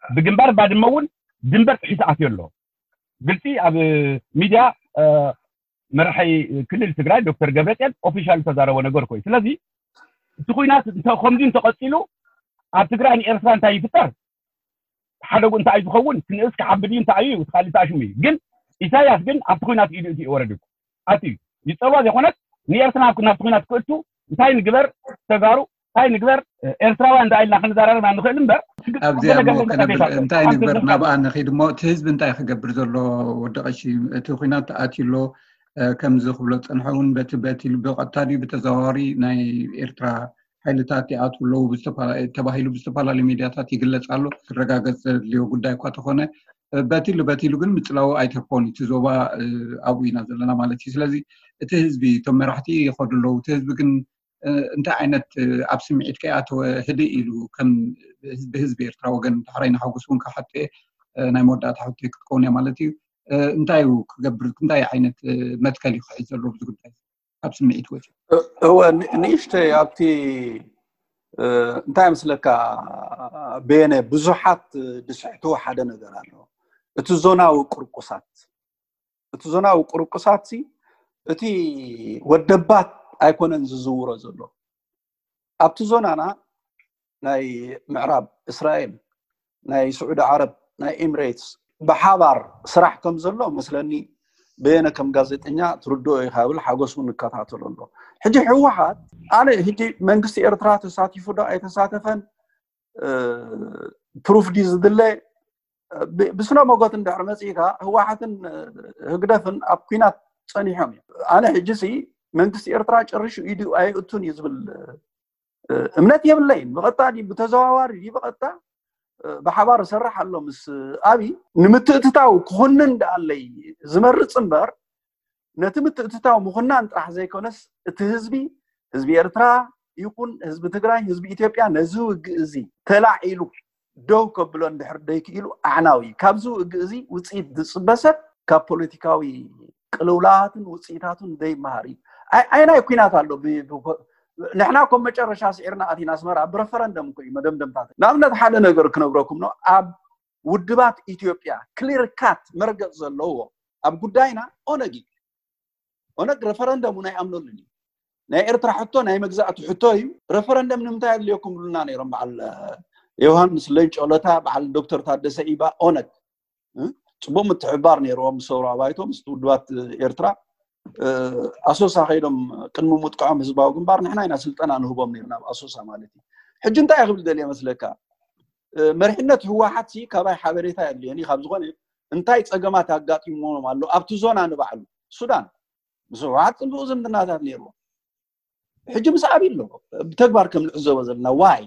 ብግንባር ባድመ እውን ድንበር ጥሒሱ ኣትዮ ኣሎ። ግልፂ ኣብ ሚድያ መራሒ ክልል ትግራይ ዶክተር ገብረፅዮን ኦፊሻል ዝተዛረቦ ነገር እኮ እዩ። ስለዚ እቲ ኩናት ከምዚ እንተቐፂሉ ኣብ ትግራይ ንኤርትራ እንታይ ይፍጠር? ሓደጉ እንታይ ዝኸውን ክንእስ ክዓቢ ድዩ እንታይ እዩ እቲ ካልእ እንታይ ሽሙ እዩ። ግን ኢሳያስ ግን ኣብቲ ኩናት ኢዱ እቲ ወረድ እዩ ኣትዩ ይፀልዋ ዘይኮነስ ንኤርትራ ናብቲ ኩናት ክእቱ እንታይ ንግበር ተጋሩ እንታይ ንግበር ኤርትራውያን ዳ ኢልና ክንዘራረብ ንኽእል እምበር ኣብዚኣ እንታይ ንግበር ናብኣ ንኺድ እሞ እቲ ህዝቢ እንታይ ክገብር ዘሎ ወዲ ቀሺ እቲ ኩናት ኣትዩ ኣሎ። ከምዚ ክብሎ ዝፀንሐ እውን በቲ በቲ ብቐጥታ ድዩ ብተዘዋዋሪ ናይ ኤርትራ ሓይልታት ይኣትዉ ኣለዉ ተባሂሉ ብዝተፈላለዩ ሚድያታት ይግለፅ ኣሎ። ክረጋገፅ ዘድልዮ ጉዳይ እኳ ተኾነ በቲሉ በቲሉ ግን ምፅላው ኣይተርፎን እቲ ዞባ ኣብኡ ኢና ዘለና ማለት እዩ። ስለዚ እቲ ህዝቢ እቶም መራሕቲ ይኸዱ ኣለዉ እቲ ህዝቢ ግን እንታይ ዓይነት ኣብ ስምዒት ከይኣተወ ህድእ ኢሉ ከም ብህዝቢ ኤርትራ ወገን ዳሕራይ ንሓጎስ እውን ክሓትየ ናይ መወዳእታ ሕቶ ክትከውን እያ ማለት እዩ። እንታይ እዩ ክገብር እንታይ ዓይነት መትከል እዩ ክሕዝ ዘለዎ ብዙ ጉዳይ ኣብ ስምዒት ወፂ እወ ንእሽተይ ኣብቲ እንታይ ምስለካ ቤነ ብዙሓት ዝስሕትዎ ሓደ ነገር ኣሎ። እቲ ዞናዊ ቅርቁሳት እቲ ዞናዊ ቅርቁሳት እቲ ወደባት ኣይኮነን ዝዝውሮ ዘሎ ኣብቲ ዞናና ናይ ምዕራብ እስራኤል ናይ ስዑዲ ዓረብ ናይ ኤምሬትስ ብሓባር ስራሕ ከም ዘሎ መስለኒ በየነ ከም ጋዜጠኛ ትርድኦ ኢኻ ብል ሓጎስ እውን እከታተሎ ኣሎ። ሕጂ ህወሓት ኣነ ሕጂ መንግስቲ ኤርትራ ተሳቲፉ ዶ ኣይተሳተፈን ፕሩፍ ድዩ ዝድለ ብስነ መጎት እንድሕር መፂእካ ህወሓትን ህግደፍን ኣብ ኩናት ፀኒሖም እዮም። ኣነ ሕጂ ሲ መንግስቲ ኤርትራ ጨሪሹ ኢዱ ኣይእቱን እዩ ዝብል እምነት የብለይን። ብቐጥታ ድዩ ብተዘዋዋሪ ድዩ ብቐጥታ ብሓባር እሰርሕ ኣሎ ምስ ኣብይ ንምትእትታው ክኹንን ደኣለይ ዝመርፅ እምበር ነቲ ምትእትታው ምኹናን ጥራሕ ዘይኮነስ እቲ ህዝቢ ህዝቢ ኤርትራ ይኹን ህዝቢ ትግራይ ህዝቢ ኢትዮጵያ ነዚ ውግእ እዚ ተላዒሉ ደው ከብሎ እንድሕር ደይክኢሉ ኣዕናዊ እዩ። ካብዚ ውግእ እዚ ውፅኢት ዝፅበ ሰብ ካብ ፖለቲካዊ ቅልውላዋትን ውፅኢታቱን ዘይመሃር እዩ። ኣይናይ ኩናት ኣሎ ንሕና ኮም መጨረሻ ስዒርና ኣቲና ኣስመራ ብረፈረንደም እኮ እዩ መደምደምታት። ንኣብነት ሓደ ነገር ክነግረኩም ነው። ኣብ ውድባት ኢትዮጵያ ክሊር ካት መርገፅ ዘለዎ ኣብ ጉዳይና ኦነግ እዩ። ኦነግ ረፈረንደም እውን ኣይኣምነሉን እዩ። ናይ ኤርትራ ሕቶ ናይ መግዛእቲ ሕቶ እዩ። ረፈረንደም ንምንታይ ኣድልየኩም ብሉና ነይሮም በዓል ዮሃንስ ሌንጮ ለታ፣ በዓል ዶክተር ታደሰ ኢባ። ኦነግ ጽቡቅ ምትሕባር ነይርዎም ምስ ሰውራ ባይቶ፣ ምስ ውድባት ኤርትራ። ኣሶሳ ከይዶም ቅድሚ ምጥቃዖም ህዝባዊ ግንባር ንሕና ኢና ስልጠና ንህቦም ነይርና ኣብ ኣሶሳ ማለት እዩ። ሕጂ እንታይ ክብል ደልየ መስለካ? መሪሕነት ህወሓት ሲ ካባይ ሓበሬታ የድልየኒ። ካብ ዝኾነ እንታይ ጸገማት ኣጋጢሞም ኣሎ ኣብቲ ዞና ንባዕሉ? ሱዳን ምስ ህወሓት ጽቡቕ ዝምድናታት ነይርዎ። ሕጂ ምስ ኣብይ ኣሎ። ብተግባር ከም ንዕዘቦ ዘለና ዋይ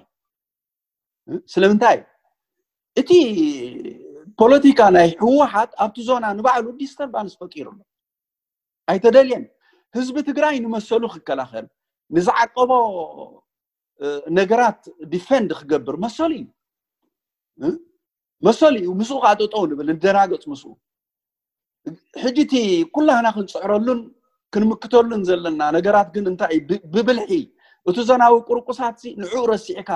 ስለምንታይ እቲ ፖለቲካ ናይ ህወሓት ኣብቲ ዞና ንባዕሉ ዲስተርባንስ ፈጢሩ ኣሎ። ኣይተደልየን። ህዝቢ ትግራይ ንመሰሉ ክከላኸል ንዝዓቀቦ ነገራት ዲፈንድ ክገብር መሰሉ እዩ። መሰሉ እዩ። ምስኡ ከዓ ጠጠው ንብል፣ ንደናገፅ ምስኡ። ሕጂ እቲ ኩላህና ክንፅዕረሉን ክንምክተሉን ዘለና ነገራት ግን እንታይ እዩ? ብብልሒ እቲ ዞናዊ ቁርቁሳት ንዕኡ ረሲዕካ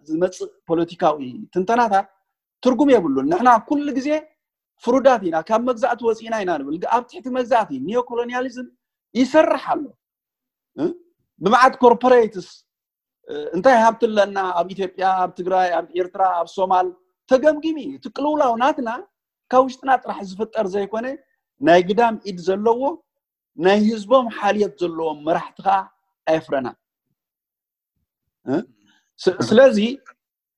ዝመፅእ ፖለቲካዊ ትንተናታት ትርጉም የብሉን። ንሕና ኩሉ ግዜ ፍሩዳት ኢና፣ ካብ መግዛእቲ ወፂእና ኢና ንብል። ኣብ ትሕቲ መግዛእቲ ኒዮኮሎኒያሊዝም ይሰርሕ ኣሎ። ብመዓት ኮርፖሬትስ እንታይ ሃብቲ ኣለና ኣብ ኢትዮጵያ፣ ኣብ ትግራይ፣ ኣብ ኤርትራ፣ ኣብ ሶማል ተገምጊሚ። እቲ ቅልውላው ናትና ካብ ውሽጥና ጥራሕ ዝፍጠር ዘይኮነ ናይ ግዳም ኢድ ዘለዎ ናይ ህዝቦም ሓልዮት ዘለዎም መራሕቲ ከዓ ኣየፍረና። ስለዚ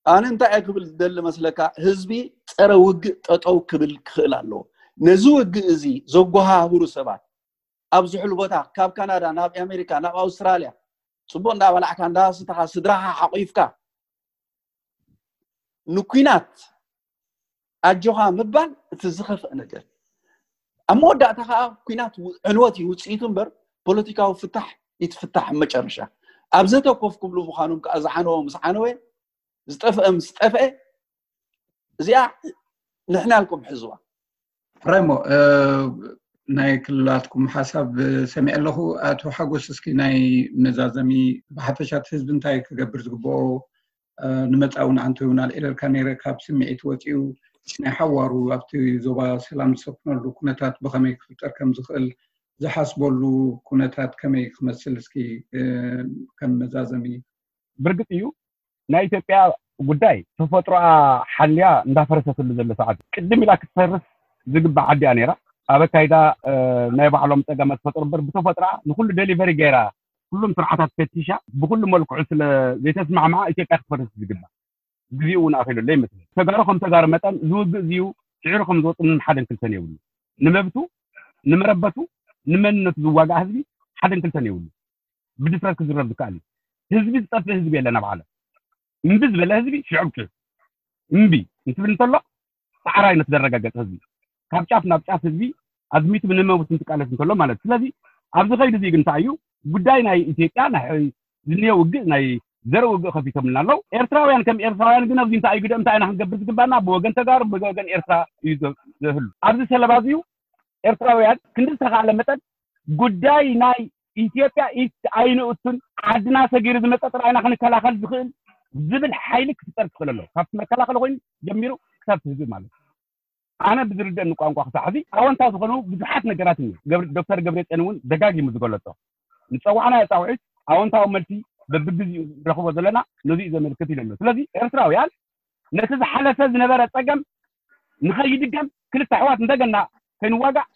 ኣነ እንታይ እየ ክብል ዝደሊ መስለካ፣ ህዝቢ ፀረ ውግእ ጠጠው ክብል ክኽእል ኣለዎ። ነዚ ውግእ እዚ ዘጓሃህሩ ሰባት ኣብ ዝሕሉ ቦታ፣ ካብ ካናዳ ናብ ኣሜሪካ ናብ ኣውስትራልያ ፅቡቅ እንዳበላዕካ እንዳስተኻ ስድራኻ ሓቂፍካ ንኩናት ኣጆኻ ምባል እቲ ዝኸፍአ ነገር። ኣብ መወዳእታ ከዓ ኩናት ዕንወት እዩ ውፅኢቱ እምበር ፖለቲካዊ ፍታሕ ይትፍታሕ መጨረሻ። ኣብ ዘተኮፍ ክብሉ ምዃኖም ከዓ ዝዓነወ ምስ ዓነወ፣ ዝጠፍአ ምስ ጠፍአ፣ እዚኣ ንሕና ኢልኩም ሕዝዋ። ሕራይሞ ናይ ክልላትኩም ሓሳብ ሰሚዐ ኣለኹ። ኣቶ ሓጎስ፣ እስኪ ናይ መዛዘሚ ብሓፈሻት ህዝቢ እንታይ ክገብር ዝግብኦ ንመፃ እውን ኣንተ እውን ኣልዒለልካ ነይረ፣ ካብ ስምዒት ወፂኡ ናይ ሓዋሩ ኣብቲ ዞባ ሰላም ዝሰፍነሉ ኩነታት ብኸመይ ክፍጠር ከም ዝኽእል ዝሓስበሉ ኩነታት ከመይ ክመስል እስኪ ከም መዛዘሚ። ብርግፅ እዩ ናይ ኢትዮጵያ ጉዳይ ተፈጥሮኣ ሓልያ እንዳፈረሰትሉ ዘሎ ሰዓት ቅድም ኢላ ክትፈርስ ዝግባእ ዓዲ እያ ነይራ። ኣብ ኣካይዳ ናይ ባዕሎም ፀገማት ፈጥሩ እምበር ብተፈጥሮኣ ንኩሉ ደሊቨሪ ገይራ ኩሎም ስርዓታት ፈቲሻ ብኩሉ መልክዑ ስለ ዘይተስማዕማዓ ኢትዮጵያ ክትፈርስ ዝግባእ ግዜኡ እውን ኣኺሉ ኣሎ ይመስለኒ። ተጋሩ ከም ተጋሩ መጠን ዝውግእ እዚዩ ስዒሩ ከም ዝወፅእ ምንም ሓደን ክልተን የብሉ። ንመብቱ ንመረበቱ ንመንነቱ ዝዋጋእ ህዝቢ ሓደን ክልተን የብሉ። ብድፍረት ክዝረብ ዝከኣል እዩ። ህዝቢ ዝጠፍእ ህዝቢ የለን ኣብ ዓለም። እምቢ ዝበለ ህዝቢ ሽዑ ብሽዑ እምቢ እንትብል እንተሎ ሰዓራይነት ዘረጋገፀ ህዝቢ ካብ ጫፍ ናብ ጫፍ ህዝቢ ኣዝሚቱ ንመብቱ እንትቃለስ እንተሎ ማለት። ስለዚ ኣብዚ ከይዱ እዚ ግን እንታይ እዩ ጉዳይ ናይ ኢትዮጵያ ናይ ዝኒኦ ውግእ ናይ ዘርኢ ውግእ ከፊቶምልና ኣለዉ። ኤርትራውያን ከም ኤርትራውያን ግን ኣብዚ እንታይ እዩ ግደ እንታይ ኢና ክንገብር ዝግባና ብወገን ተጋሩ ብወገን ኤርትራ እዩ ዘህሉ። ኣብዚ ሰለባ እዚ እዩ ኤርትራውያን ክንዲ ዝተኻእለ መጠን ጉዳይ ናይ ኢትዮጵያ ኢድ ኣይንእቱን ዓድና ሰጊሩ ዝመፀ ጥራይና ክንከላኸል ዝኽእል ዝብል ሓይሊ ክፍጠር ክኽእል ኣለዎ። ካብቲ መከላኸሊ ኮይኑ ጀሚሩ ክሳብ ህዝቢ ማለት እዩ። ኣነ ብዝርደእኒ ቋንቋ ክሳዕ ሕዚ ኣወንታ ዝኾኑ ብዙሓት ነገራት እኒ ዶክተር ገብረፅዮን እውን ደጋጊሙ ዝገለፆ ንፀዋዕና ኣፃውዒት ኣወንታዊ መልሲ በብግዜኡ ንረኽቦ ዘለና ነዚ እዩ ዘመልክት ኢለ ኣሎ። ስለዚ ኤርትራውያን ነቲ ዝሓለፈ ዝነበረ ፀገም ንኸይድገም ክልተ ኣሕዋት እንደገና ከይንዋጋእ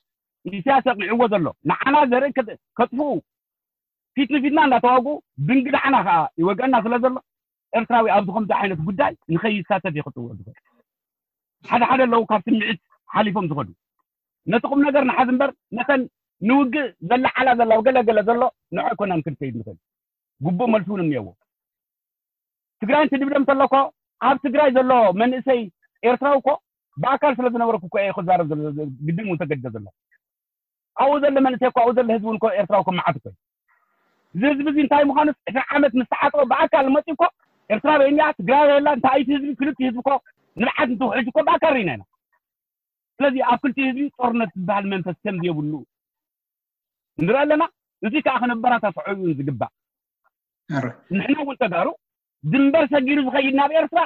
ኢሳያስ ኣቕኒዕዎ ዘሎ ንዓና ዘርኢ ከጥፍኡ ፊት ንፊትና እንዳተዋግኡ ብንግዳዕና ከዓ ይወግአና ስለ ዘሎ ኤርትራዊ ኣብዚ ከምዚ ዓይነት ጉዳይ ንኸይሳተፍ እዩ ክጥውዕ ዝኽእል። ሓደ ሓደ ኣለዉ ካብ ስምዒት ሓሊፎም ዝኸዱ ነቲ ቁም ነገር ንሓዝ እምበር ነተን ንውግእ ዘለዓላ ዘላ ገለገለ ዘሎ ንዖ ኣይኮናን ክንከይድ ንኽእል። ግቡእ መልሲ እውን እኒአዎ። ትግራይ እንትድብደም እንተሎ እኮ ኣብ ትግራይ ዘሎ መንእሰይ ኤርትራዊ እኮ ብኣካል ስለ ዝነበርኩ እኮ እየ ክዛረብ ግድን እውን ተገድደ ዘሎ። ኣብኡ ዘሎ መንእሰይ እኮ ኣብኡ ዘሎ ህዝቢ እውን እኮ ኤርትራዊ እኮ መዓት እኮ እዩ። እዚ ህዝቢ እዚ እንታይ ምዃኑ ዕስራ ዓመት ምስ ተዓጠወ ብኣካል መፂኡ እኮ ኤርትራዊ እያ ትግራዊ የላ እንታይ እቲ ህዝቢ ክልቲ ህዝቢ እኮ ንብዓት እንትውሕጅ እኮ ብኣካል ርኢና ኢና። ስለዚ ኣብ ክልቲ ህዝቢ ጦርነት ዝበሃል መንፈስ ከም ዘየብሉ ንርኢ ኣለና። እዚ ከዓ ክነበራታትዖ እዩ ዝግባእ። ንሕና እውን ተጋሩ ድንበር ሰጊሩ ዝኸይድ ናብ ኤርትራ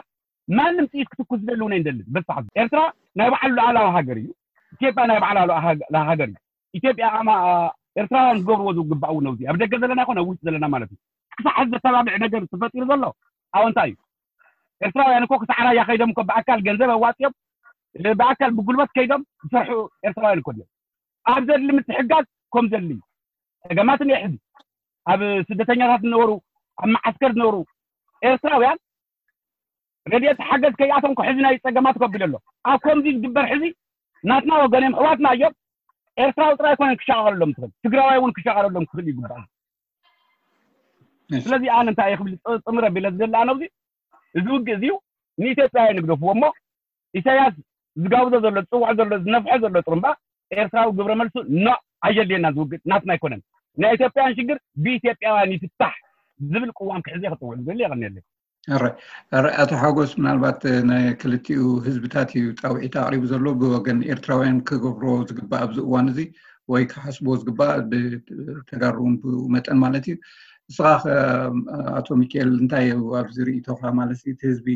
ማንም ጥይት ክትኩስ ዝደሊ እውን ኣይንደልን። በሳሕ ኤርትራ ናይ ባዕሉ ሉዓላዊ ሃገር እዩ። ኢትዮጵያ ናይ ባዕላ ሉዓ- ሃገር እዩ። ኢትዮጵያ ኣማ- ኤርትራውያን ዝገብርዎ ዝግባእ እውን ኣብዚ ኣብ ደገ ዘለና ይኮነ ኣብ ውሽጢ ዘለና ማለት እዩ። ክሳዕ ሕዚ ዘተባብዕ ነገር ተፈጢሩ ዘሎ ኣወንታ እዩ። ኤርትራውያን እኮ ክሳዕ ራያ ከይዶም እኮ ብኣካል ገንዘብ ኣዋፅኦም ብኣካል ብጉልበት ከይዶም ዝሰርሑ ኤርትራውያን እኮ እዮም። ኣብ ዘድሊ ምትሕጋዝ ከም ዘድሊ ጸገማትን የሕዚ ኣብ ስደተኛታት ዝነበሩ ኣብ መዓስከር ዝነበሩ ኤርትራውያን ረድኤት ሓገዝ ከይኣቶም ሕዚ ናይ ጸገማት ከቢሉ ኣሎ። ኣብ ከምዚ ዝግበር ሕዚ ናትና ወገን እዮም፣ ኣሕዋትና እዮም። ኤርትራዊ ጥራይ ኣይኮነን ክሻቐለሎም ትኽእል፣ ትግራዋይ እውን ክሻቐለሎም ክኽእል ይግባእ። ስለዚ ኣነ እንታይ እየ ክብል ጥ- ጥምር ኣቢለ ዝደሊ ኣነ ኣብዚ እዚ ውግእ እዚ ንኢትዮጵያውያን ይግደፍዎ እሞ ኢሳያስ ዝጋብዞ ዘሎ ዝፅውዖ ዘሎ ዝነፍሖ ዘሎ ጥሩምባ ኤርትራዊ ግብረ መልሱ ኖ ኣየድልየና ዝውግእ ናትና ኣይኮነን ናይ ኢትዮጵያውያን ሽግር ብኢትዮጵያውያን ይፍታሕ ዝብል ቅዋም ክሕዘ ክፅውዕ ዝደሊ የቐንየለይ። ኣረ ኣቶ ሓጎስ ምናልባት ናይ ክልቲኡ ህዝብታት እዩ ፃውዒት ኣቕሪቡ ዘሎ ብወገን ኤርትራውያን ክገብሮ ዝግባእ ኣብዚ እዋን እዚ ወይ ክሓስብዎ ዝግባእ ብተጋሩ እውን ብኡ መጠን ማለት እዩ። ንስኻ ከ ኣቶ ሚካኤል እንታይ እዩ ኣብዚ ርእይቶኻ ማለት እዩ? እቲ ህዝቢ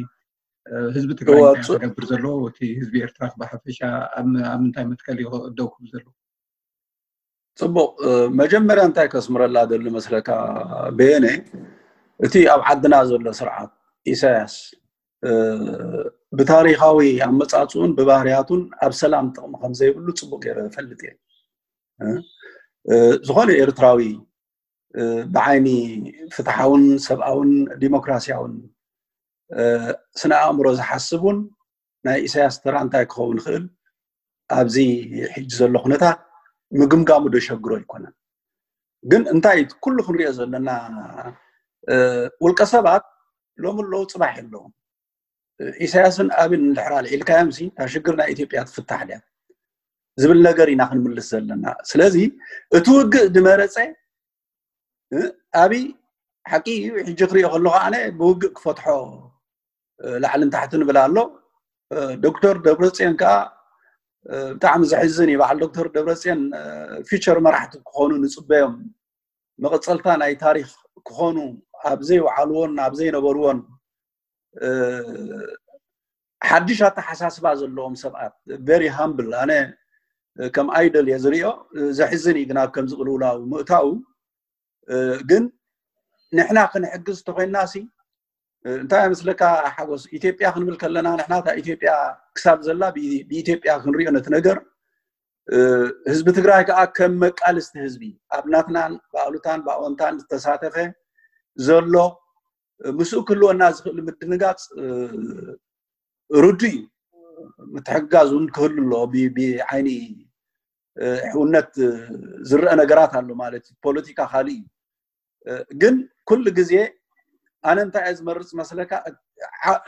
ህዝቢ ትግራይ እንታይ ክገብር ዘሎ እቲ ህዝቢ ኤርትራ ብሓፈሻ ኣብ ምንታይ መትከል እዩ ደው ክብል ዘሎ? ፅቡቅ መጀመርያ እንታይ ከስምረላ ደሊ መስለካ በየነ እቲ ኣብ ዓድና ዘሎ ስርዓት ኢሳያስ ብታሪካዊ ኣመፃፅኡን ብባህርያቱን ኣብ ሰላም ጥቕሚ ከምዘይብሉ ፅቡቅ ገይረ ፈልጥ እየ። ዝኾነ ኤርትራዊ ብዓይኒ ፍትሓውን ሰብኣውን ዲሞክራሲያውን ስነ ኣእምሮ ዝሓስብ እውን ናይ ኢሳያስ ተራ እንታይ ክኸውን ይኽእል ኣብዚ ሕጂ ዘሎ ኩነታት ምግምጋሙ ደሸግሮ ኣይኮነን። ግን እንታይ ኩሉ ክንሪኦ ዘለና ውልቀ ሰባት ሎም ኣለዉ ፅባሕ የለዎም። ኢሳያስን ኣብን እንድሕር ኣልዒልካዮም ሲ እታ ሽግር ናይ ኢትዮጵያ ትፍታሕ ድያ ዝብል ነገር ኢና ክንምልስ ዘለና። ስለዚ እቲ ውግእ ዝመረፀ ኣብይ ሓቂ እዩ። ሕጂ ክሪኦ ከለኹ ኣነ ብውግእ ክፈትሖ ላዕልን ታሕትን ንብል ኣሎ። ዶክተር ደብረፅዮን ከዓ ብጣዕሚ ዘሕዝን እዩ። በዓል ዶክተር ደብረፅዮን ፊቸር መራሕቲ ክኾኑ ንፅበዮም መቐፀልታ ናይ ታሪክ ክኾኑ ኣብ ዘይወዓልዎን ኣብ ዘይነበርዎን ሓድሽ ኣተሓሳስባ ዘለዎም ሰባት very humble ኣነ ከም ኣይደል እየ ዝሪኦ። ዘሕዝን እዩ ግን ኣብ ከምዚ ቅልውላው ምእታው ግን ንሕና ክንሕግዝ ተኮይና ሲ እንታይ ምስለካ ሓጎስ ኢትዮጵያ ክንብል ከለና ንሕና እታ ኢትዮጵያ ክሳብ ዘላ ብኢትዮጵያ ክንሪኦ ነቲ ነገር ህዝቢ ትግራይ ከዓ ከም መቃልስቲ ህዝቢ ኣብ ናትናን ብኣሉታን ብኣወንታን ዝተሳተፈ ዘሎ ምስኡ ክህልወና ዝኽእል ምድንጋፅ ርዱ እዩ። ምትሕግጋዝ እውን ክህሉ ኣሎ። ብዓይኒ ሕውነት ዝረአ ነገራት ኣሎ ማለት እዩ። ፖለቲካ ካልእ እዩ። ግን ኩሉ ግዜ ኣነ እንታይ እየ ዝመርፅ መስለካ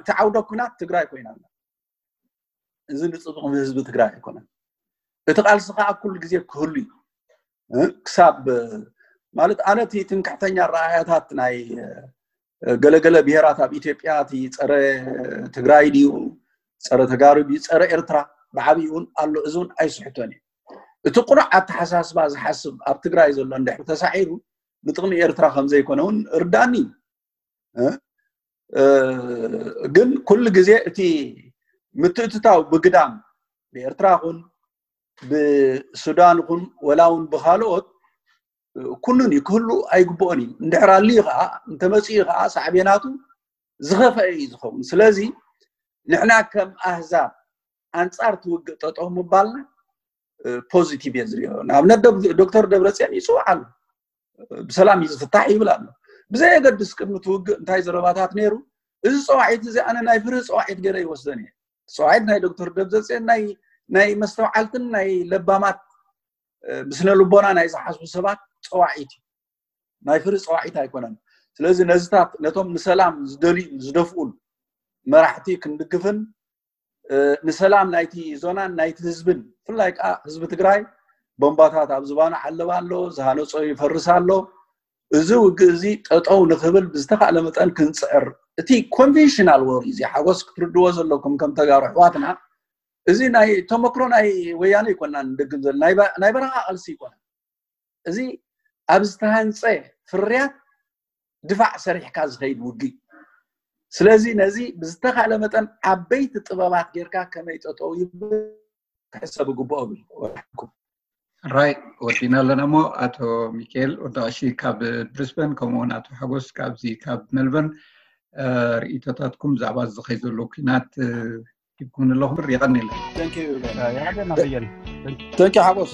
እቲ ዓውደ ኩናት ትግራይ ኮይና ኣላ። እዚ ንፅቡቕ ህዝቢ ትግራይ ኣይኮነን። እቲ ቃልሲ ከዓ ኩሉ ግዜ ክህሉ እዩ ክሳብ ማለት ኣነ እቲ ትምክሕተኛ ረኣያታት ናይ ገለገለ ብሄራት ኣብ ኢትዮጵያ እቲ ፀረ ትግራይ ድዩ ፀረ ተጋሩ ድዩ ፀረ ኤርትራ ብዓብዩ እውን ኣሎ። እዚ እውን ኣይስሕቶን እዩ። እቲ ቁኑዕ ኣተሓሳስባ ዝሓስብ ኣብ ትግራይ ዘሎ እንድሕር ተሳዒሩ ንጥቕሚ ኤርትራ ከምዘይኮነ እውን ርዳኒ እዩ። ግን ኩሉ ግዜ እቲ ምትእትታው ብግዳም ብኤርትራ ኹን ብሱዳን ኹን ወላ እውን ብካልኦት ኩኑን እዩ ክህሉ ኣይግብኦን እዩ። እንድሕር ኣልዩ ከዓ እንተመፅኡ ከዓ ሳዕቤናቱ ዝኸፈአ እዩ ዝኸውን። ስለዚ ንሕና ከም ኣህዛብ ኣንፃር ትውግእ ጠጠው ምባልና ፖዚቲቭ እየ ዝሪኦ። ንኣብነት ዶክተር ደብረፅዮን ይፅውዕ ኣሎ፣ ብሰላም እዩ ዝፍታሕ ይብል ኣሎ። ብዘየገድስ ቅድሚ ትውግእ እንታይ ዘረባታት ነይሩ? እዚ ፀዋዒት እዚ ኣነ ናይ ፍርሂ ፀዋዒት ገይረ ይወስደን እየ። ፀዋዒት ናይ ዶክተር ደብረፅዮን ናይ መስተውዓልትን ናይ ለባማት ብስነ ልቦና ናይ ዝሓስቡ ሰባት ፀዋዒት እዩ። ናይ ፍርሂ ፀዋዒት ኣይኮነን። ስለዚ ነዚታት ነቶም ንሰላም ዝደልዩ ዝደፍኡን መራሕቲ ክንድግፍን ንሰላም ናይቲ ዞናን ናይቲ ህዝብን ብፍላይ ከዓ ህዝቢ ትግራይ ቦምባታት ኣብ ዝባኑ ዓለባ ኣሎ፣ ዝሃነፆ ይፈርስ ኣሎ። እዚ ውግእ እዚ ጠጠው ንክብል ብዝተካእለ መጠን ክንፅዕር እቲ ኮንቬንሽናል ወር እዚ ሓጎስ ክትርድዎ ዘለኩም ከም ተጋሩ ኣሕዋትና እዚ ናይ ተመክሮ ናይ ወያነ ይኮና ንደግም ዘለና ናይ በረኻ ቃልሲ ይኮና። እዚ ኣብ ዝተሃንፀ ፍርያት ድፋዕ ሰሪሕካ ዝኸይድ ውግእ። ስለዚ ነዚ ብዝተኻለ መጠን ዓበይቲ ጥበባት ጌርካ ከመይ ጠጠው ይብል ክሕሰብ ይግብኦ ብል። ራይ ወዲና ኣለና እሞ ኣቶ ሚካኤል ወዳቀሺ ካብ ብሪስበን ከምኡውን ኣቶ ሓጎስ ካብዚ ካብ ሜልበርን ርእይቶታትኩም ብዛዕባ ዝኸይ ዘሎ ኩናት ሂብኩም ኣለኹም። የቐንየለን። ተንኪ ሓጎስ።